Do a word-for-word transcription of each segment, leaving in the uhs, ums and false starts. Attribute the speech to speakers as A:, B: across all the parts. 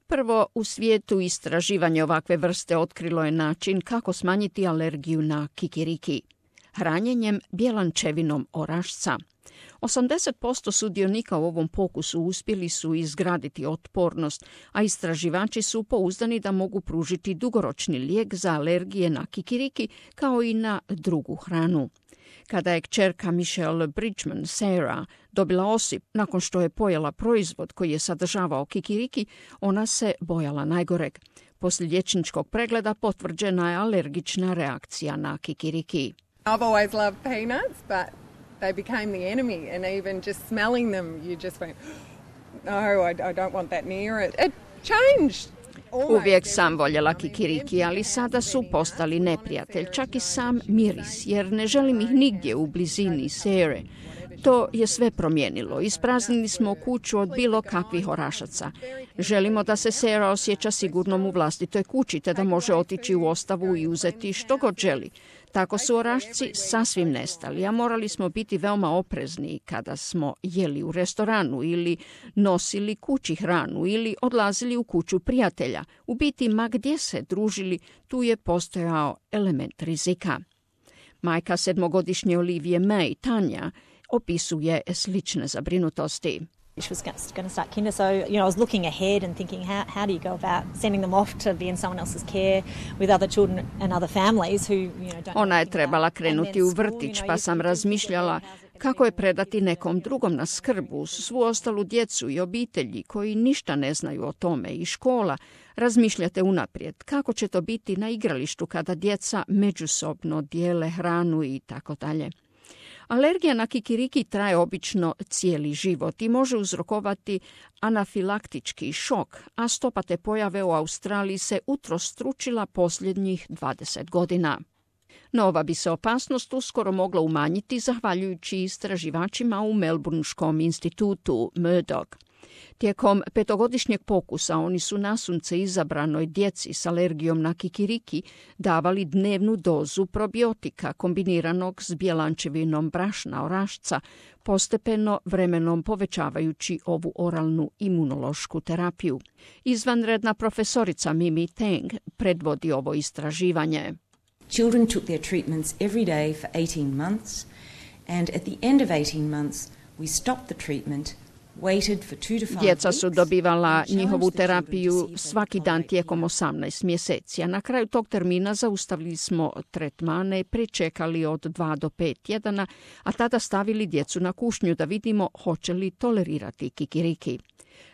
A: Prvo, u svijetu istraživanje ovakve vrste otkrilo je način kako smanjiti alergiju na kikiriki. Hranjenjem bjelančevinom orašca. osamdeset posto sudionika u ovom pokusu uspjeli su izgraditi otpornost, a istraživači su pouzdani da mogu pružiti dugoročni lijek za alergije na kikiriki kao i na drugu hranu. Kada je kćerka Michelle Bridgman, Sarah, dobila osip nakon što je pojela proizvod koji je sadržavao kikiriki, ona se bojala najgoreg. Poslije liječničkog pregleda potvrđena je alergična reakcija na kikiriki.
B: I've always loved peanuts, but they became the enemy, and even just smelling them, you just went, no, I, I don't want that near it. It changed.
A: Uvijek sam voljela kikiriki, ali sada su postali neprijatelj, čak i sam miris, jer ne želim ih nigdje u blizini Sere. To je sve promijenilo. Ispraznili smo kuću od bilo kakvih orašaca. Želimo da se Sera osjeća sigurnom u vlastitoj kući, te da može otići u ostavu i uzeti što god želi. Tako su orašci sasvim nestali, a morali smo biti veoma oprezni kada smo jeli u restoranu ili nosili kući hranu ili odlazili u kuću prijatelja. U biti, ma gdje se družili, tu je postojao element rizika. Majka sedmogodišnje Olivije May, Tanja, opisuje slične zabrinutosti.
C: She was going to start kinder, so you know I was looking ahead and thinking how how do you go about sending them off to be in someone else's care with other children and other families who you know don't.
A: Ona je trebala krenuti u vrtić, pa sam razmišljala kako je predati nekom drugom na skrb uz svu ostalu djecu i obitelji koji ništa ne znaju o tome i škola. Razmišljate unaprijed kako će to biti na igralištu kada djeca međusobno dijele hranu i tako dalje. Alergija na kikiriki traje obično cijeli život i može uzrokovati anafilaktički šok, a stopa te pojave u Australiji se utrostručila posljednjih dvadeset godina. No ova bi se opasnost uskoro mogla umanjiti zahvaljujući istraživačima u Melbourneškom institutu Murdoch. Tijekom petogodišnjeg pokusa oni su nasunce izabranoj djeci s alergijom na kikiriki davali dnevnu dozu probiotika kombiniranog s bjelančevinom brašna orašca, postepeno vremenom povećavajući ovu oralnu imunološku terapiju. Izvanredna profesorica Mimi Tang predvodi ovo istraživanje.
D: Children took their treatments every day for eighteen months, and at the end of eighteen months we stopped the treatment.
A: Djeca su dobivala njihovu terapiju svaki dan tijekom osamnaest mjeseci, a na kraju tog termina zaustavili smo tretmane, pričekali od dva do pet tjedana, a tada stavili djecu na kušnju da vidimo hoće li tolerirati kikiriki.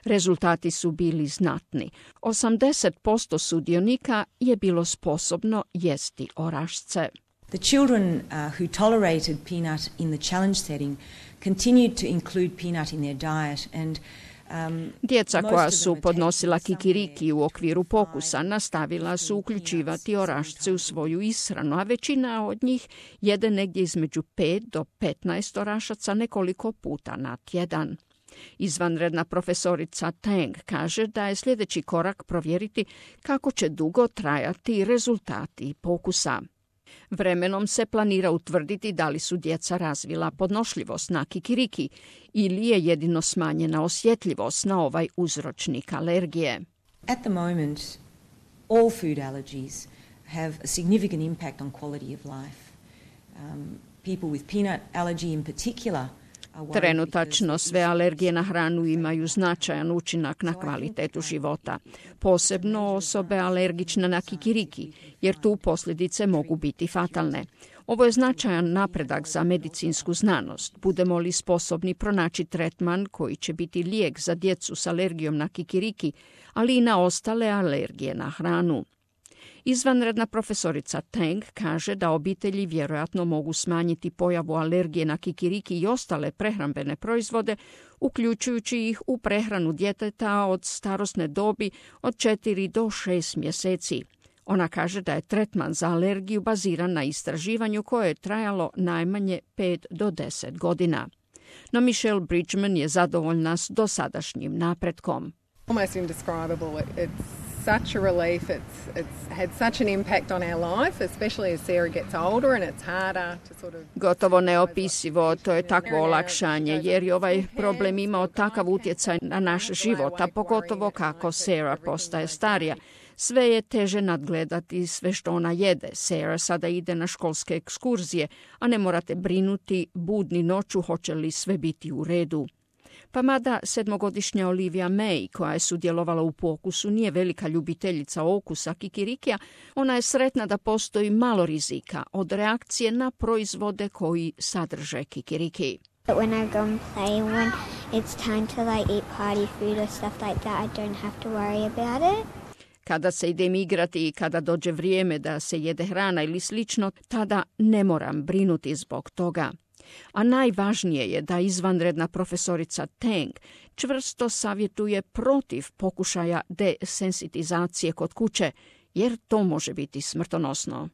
A: Rezultati su bili znatni. osamdeset posto sudionika je bilo sposobno jesti orašce.
D: The children uh, who tolerated peanut in the challenge setting continued to include peanut in their diet and um,
A: Djeca koja su podnosila kikiriki u okviru pokusa nastavila su uključivati orašce u svoju ishranu, a većina od njih jede negdje između pet do petnaest orašaca nekoliko puta na tjedan. Izvanredna profesorica Tang kaže da je sljedeći korak provjeriti kako će dugo trajati rezultati pokusa. Vremenom se planira utvrditi da li su djeca razvila podnošljivost na kikiriki ili je jedino smanjena osjetljivost na ovaj uzročnik alergije.
D: At the moment, all food allergies have a significant impact on quality of life. Um, people with peanut allergy in particular.
A: Trenutačno sve alergije na hranu imaju značajan učinak na kvalitetu života, posebno osobe alergične na kikiriki, jer tu posljedice mogu biti fatalne. Ovo je značajan napredak za medicinsku znanost. Budemo li sposobni pronaći tretman koji će biti lijek za djecu s alergijom na kikiriki, ali i na ostale alergije na hranu. Izvanredna profesorica Tang kaže da obitelji vjerojatno mogu smanjiti pojavu alergije na kikiriki i ostale prehrambene proizvode, uključujući ih u prehranu djeteta od starosne dobi od četiri do šest mjeseci. Ona kaže da je tretman za alergiju baziran na istraživanju koje je trajalo najmanje pet do deset godina. No Michelle Bridgman je zadovoljna s dosadašnjim napretkom.
B: Almost indescribable. It's such a relief. It's it's had such an impact on our life, especially as Sarah gets older and it's harder to sort of...
A: Gotovo neopisivo, to je takvo olakšanje, jer je ovaj problem imao takav utjecaj na naš život, a pogotovo kako Sarah postaje starija. Sve je teže nadgledati sve što ona jede. Sarah sada ide na školske ekskurzije, a ne morate brinuti budni noću hoće li sve biti u redu. Pa mada sedmogodišnja Olivia May, koja je sudjelovala u pokusu, nije velika ljubiteljica okusa kikirikija, ona je sretna da postoji malo rizika od reakcije na proizvode koji sadrže kikiriki.
E: But when I go and play, when it's time to like eat party food or stuff like that, I don't have to worry about it.
A: Kada se idem igrati i kada dođe vrijeme da se jede hrana ili slično, tada ne moram brinuti zbog toga. A najvažnije je da izvanredna profesorica Tang čvrsto savjetuje protiv pokušaja desensitizacije kod kuće, jer to može biti smrtonosno.